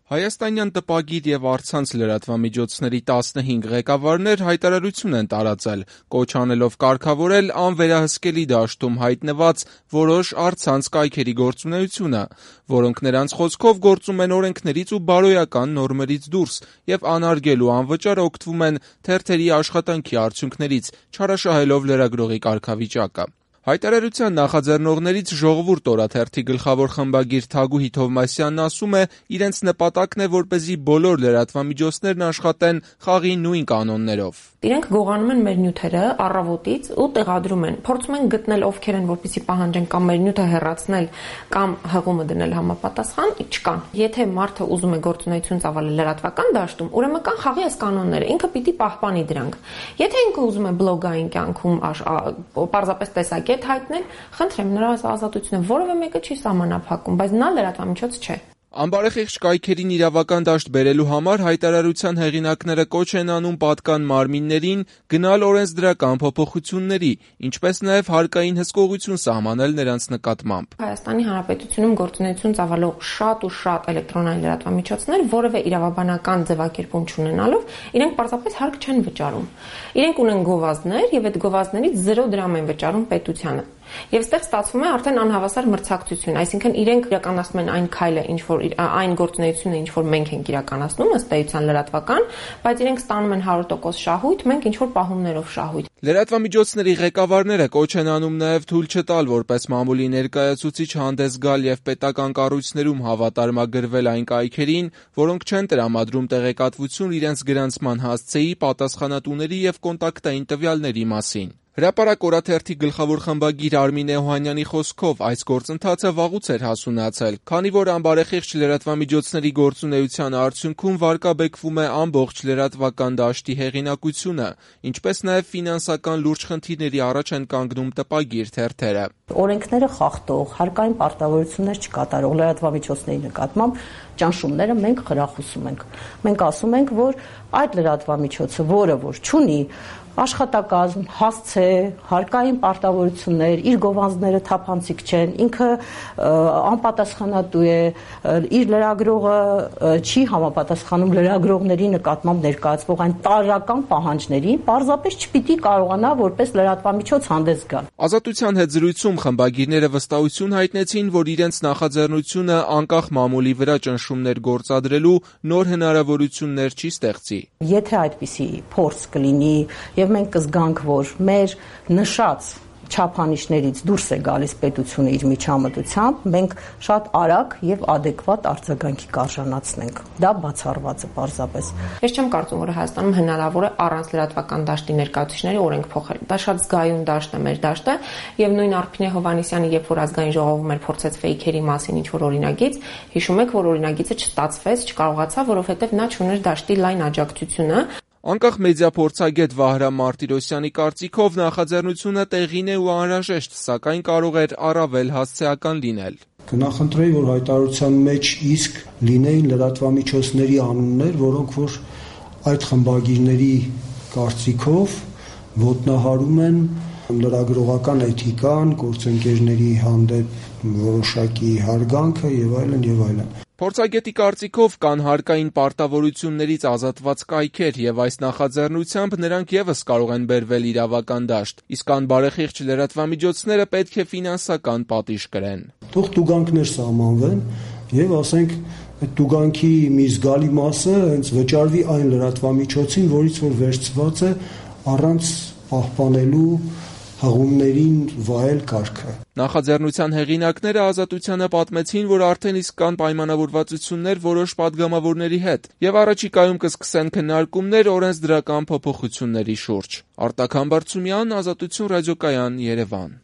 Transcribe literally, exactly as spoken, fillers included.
Հայաստանյան տպագիր և առցանց լրատվամիջոցների տասնհինգ ղեկավարներ հայտարարություն են տարածել, կոչ անելով կարգավորել անվերահսկելի դաշտում հայտնված որոշ առցանց կայքերի գործունեությունը, որոնք նրանց խոսքով գործում են օրենքներից ու բարոյական նորմերից դուրս և անարգելու անվճար օգտվում են թերթերի աշխատանքի արդյունքներից, չարաշահելով լրագրողի կարգավիճակը։ Հայտարարության նախաձեռնողներից «Ժողովուրդ» օրաթերթի գլխավոր խմբագիր Թագուհի Թովմասյանն ասում է, իրենց նպատակն է, որպեսզի բոլոր լրատվամիջոցներն աշխատեն խաղի նույն կանոններով։ Իրենք գողանում են մեր նյութերը առավոտից ու տեղադրում են, փորձում են գտնել ովքեր են, որպեսզի պահանջեն կամ մեր նյութը հեռացնել կամ հղումը դնել համապատասխան, չկան։ Եթե մարդը ուզում է գործունեություն ծավալել լրատվական դաշտում, ուրեմն կան խաղի այս կանոնները, ինքը պիտի պահպանի դրանք։ Եթե ինքը ուզում է բլոգային կյանքում պարզապես տեսակետ հայտնել, խնդրեմ, նրա ազատությունը որևէ մեկը չի սահմանափակում, բայց նա լրատվամիջոց չէ։ Անբարեխիղճ կայքերին իրավական դաշտ բերելու համար հայտարարության հեղինակները կոչ են անում պատկան մարմիններին գնալ օրենսդրական փոփոխությունների, ինչպես նաև հարկային հսկողություն սահմանել նրանց նկատմամբ։ Հայաստանի Հանրապետությունում գործունեություն ծավալող շատ ու շատ էլեկտրոնային լրատվամիջոցներ որևէ իրավաբանական ձևակերպում չունենալով, իրենք պարզապես հարկ չեն վճարում։ Իրենք ունեն գովազդներ եւ այդ գովազդներից զրո դրամ են վճարում պետությանը։ Եվ այստեղ ստացվում է արդեն անհավասար մրցակցություն, այսինքն իրենք իրականացնում են այն քայլը, ինչ որ այն գործունեությունը, ինչ որ մենք ենք իրականացնում, ըստ էության լրատվական, բայց իրենք ստանում են հարյուր տոկոս շահույթ, մենք ինչ որ պահումներով շահույթ։ Լրատվամիջոցների ղեկավարները կոչ են անում նաև թույլ չտալ որպես մամուլի ներկայացուցիչ հանդես գալ եւ պետական կառույցներում հավատարմագրվել այն կայքերին, որոնք չեն տրամադրում տեղեկատվություն իրենց գրանցման հասցեի, պատասխանատուների եւ կոնտակտային տվյալների մասին։ Հրապարակ օրաթերթի գլխավոր խմբագիր Արմինե Օհանյանի խոսքով այս գործընթացը վաղուց էր հասունացել, քանի որ անբարեխիղճ լրատվամիջոցների գործունեության արդյունքում վարկաբեկվում է ամբողջ լրատվական դաշտի հեղինակությունը, ինչպես նաև ֆինանսական լուրջ խնդիրների առաջ են կանգնում տպագիր թերթերը։ Օրենքները խախտող, հարկային պարտավորություններ չկատարող լրատվամիջոցների նկատմամբ ճնշումները մենք խրախուսում ենք։ Մենք ասում ենք, որ այդ լրատվամիջոցը, որը որ չունի աշխատակազմ, հասցե, հարկային պարտավորություններ, իր գովազդները թափանցիկ չեն, ինքը անպատասխանատու է, իր լրագրողը չի համապատասխանում լրագրողների նկատմամբ ներկայացվող այն տարրական պահանջներին, պարզապես չպիտի կարողանա որպես լրատվամիջոց հանդես գալ։ Ազատության հետ զրույցում խմբագիրները վստահություն հայտնեցին, որ իրենց նախաձեռնությունը անկախ մամուլի վրա ճնշումներ գործադրելու նոր հնարավորություններ չի ստեղծի։ Եթե այդպիսի փորձ կլինի եւ մենք կզգանք, որ մեր նշած չափանիշներից դուրս է գալիս պետությունը իր միջամտությամբ, մենք շատ արագ եւ ադեկվատ արձագանքի կարժանացնենք։ Դա բացառված է պարզապես։ Ես չեմ կարծում, որ Հայաստանում հնարավոր է առանց լրատվական դաշտի ներկայացուցիչների օրենք փոխել։ Դա շատ զգայուն դաշտ է մեր դաշտը, եւ նույն Արփինե Հովհաննիսյանը, երբ որ ազգային ժողովում էր փորձեց ֆեյքերի մասին ինչ-որ օրինագիծ, հիշում եք, որ օրինագիծը չստացվեց, չկարողացավ, որովհետեւ նա չուներ դաշտի լայն աջակցությունը։ Անկախ մեդիափորձագետ Վահրամ Մարտիրոսյանի կարծիքով նախաձեռնությունը տեղին է ու անհրաժեշտ, սակայն կարող էր առավել հասցեական լինել։ Կնախընտրեի, որ հայտարարության մեջ իսկ լինեին լրատվամիջոցների անուններ, որոնք որ այդ խմբագիրների կարծիքով ոտնահարում են լրագրողական էթիկան, գործընկերների հանդեպ որոշակի հարգանքը եւ այլն եւ այլն։ Փորձագետի կարծիքով կան հարկային պարտավորություններից ազատված կայքեր եւ այս նախաձեռնությամբ նրանք եւս կարող են բերվել իրավական դաշտ, իսկ անբարեխիղճ լրատվամիջոցները պետք է ֆինանսական պատիժ կրեն։ Թող տուգանքներ սահմանվեն եւ ասենք այդ տուգանքի մի զգալի մասը հենց վճարվի այն լրատվամիջոցին, որից որ վերցված է առանց պահպանելու հղումներին վայել կարգը։ Նախաձեռնության հեղինակները Ազատությանը պատմեցին, որ արդեն իսկ կան պայմանավորվածություններ որոշ պատգամավորների հետ եւ առաջիկայում կսկսեն քննարկումներ օրենսդրական փոփոխությունների շուրջ։ Արտակ Համբարձումյան, Ազատություն ռադիոկայան, Երևան։